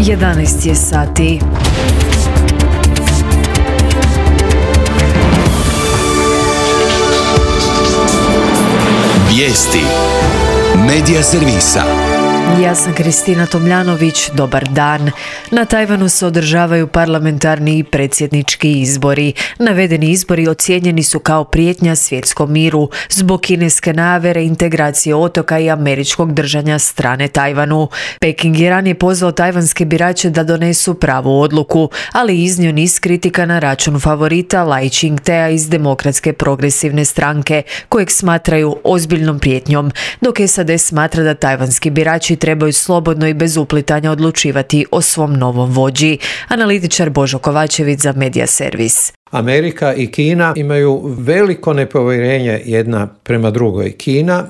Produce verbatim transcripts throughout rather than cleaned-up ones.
jedanaest je sati. Vijesti Medija servisa. Ja sam Kristina Tomljanović, dobar dan. Na Tajvanu se održavaju parlamentarni i predsjednički izbori. Navedeni izbori ocijenjeni su kao prijetnja svjetskom miru zbog kineske najave integracije otoka i američkog držanja strane Tajvanu. Peking je ranije pozvao tajvanske birače da donesu pravu odluku, ali iznio niz kritika na račun favorita Lai Ching-tea iz Demokratske progresivne stranke, kojeg smatraju ozbiljnom prijetnjom, dok S A D smatra da tajvanski birači trebaju slobodno i bez uplitanja odlučivati o svom novom vođi. Analitičar Božo Kovačević za Medija servis. Amerika i Kina imaju veliko nepovjerenje jedna prema drugoj. Kina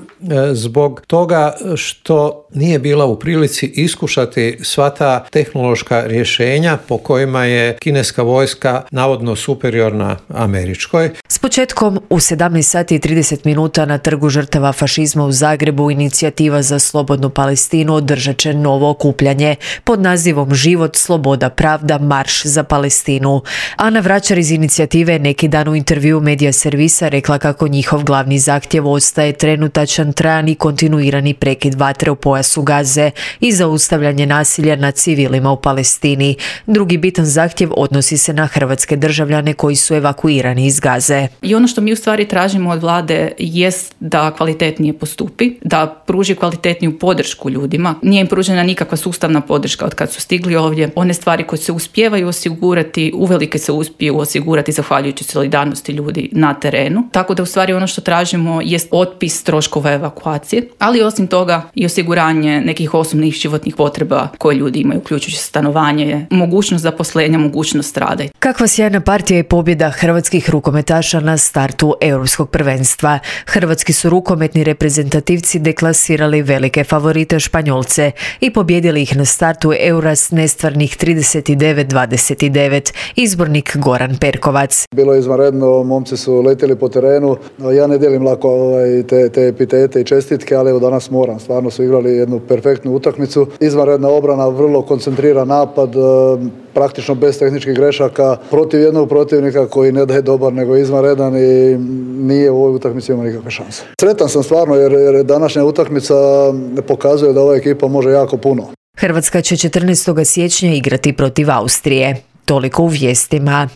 zbog toga što nije bila u prilici iskušati sva ta tehnološka rješenja po kojima je kineska vojska navodno superiorna američkoj. S početkom u sedamnaest sati i trideset minuta na Trgu žrtava fašizma u Zagrebu Inicijativa za slobodnu Palestinu održat će novo okupljanje pod nazivom Život, sloboda, pravda, marš za Palestinu. Ana Vračar iz Inicijative neki dan u intervju Medija servisa rekla kako njihov glavni zahtjev ostaje trenutačan, trajan i kontinuirani prekid vatre u pojasu Gaze i zaustavljanje nasilja nad civilima u Palestini. Drugi bitan zahtjev odnosi se na hrvatske državljane koji su evakuirani iz Gaze. I ono što mi u stvari tražimo od vlade jest da kvalitetnije postupi, da pruži kvalitetniju podršku ljudima. Nije im pružena nikakva sustavna podrška od kad su stigli ovdje. One stvari koje se uspijevaju osigurati, uvelike se uspiju osigurati zahvaljujući solidarnosti ljudi na terenu. Tako da u stvari ono što tražimo jest otpis troškova evakuacije, ali osim toga i osiguranje nekih osnovnih životnih potreba koje ljudi imaju, uključujući stanovanje, mogućnost zaposlenja, mogućnost rada. Kakva sjajna partija i pobjeda hrvatskih rukometaša na startu europskog prvenstva. Hrvatski su rukometni reprezentativci deklasirali velike favorite Španjolce i pobjedili ih na startu Eura s nestvarnih trideset devet dvadeset devet. Izbornik Goran Perkovac. Bilo je izvanredno, momci su letjeli po terenu. Ja ne dijelim lako ovaj, te, te epitete i čestitke, ali evo danas moram. Stvarno su igrali jednu perfektnu utakmicu. Izvanredna obrana, vrlo koncentriran napad, praktično bez tehničkih grešaka, protiv jednog protivnika koji ne da je dobar nego izvanredan i nije u ovoj utakmici imao nikakve šanse. Sretan sam stvarno jer, jer današnja utakmica pokazuje da ova ekipa može jako puno. Hrvatska će četrnaestog siječnja igrati protiv Austrije. Toliko u vijestima.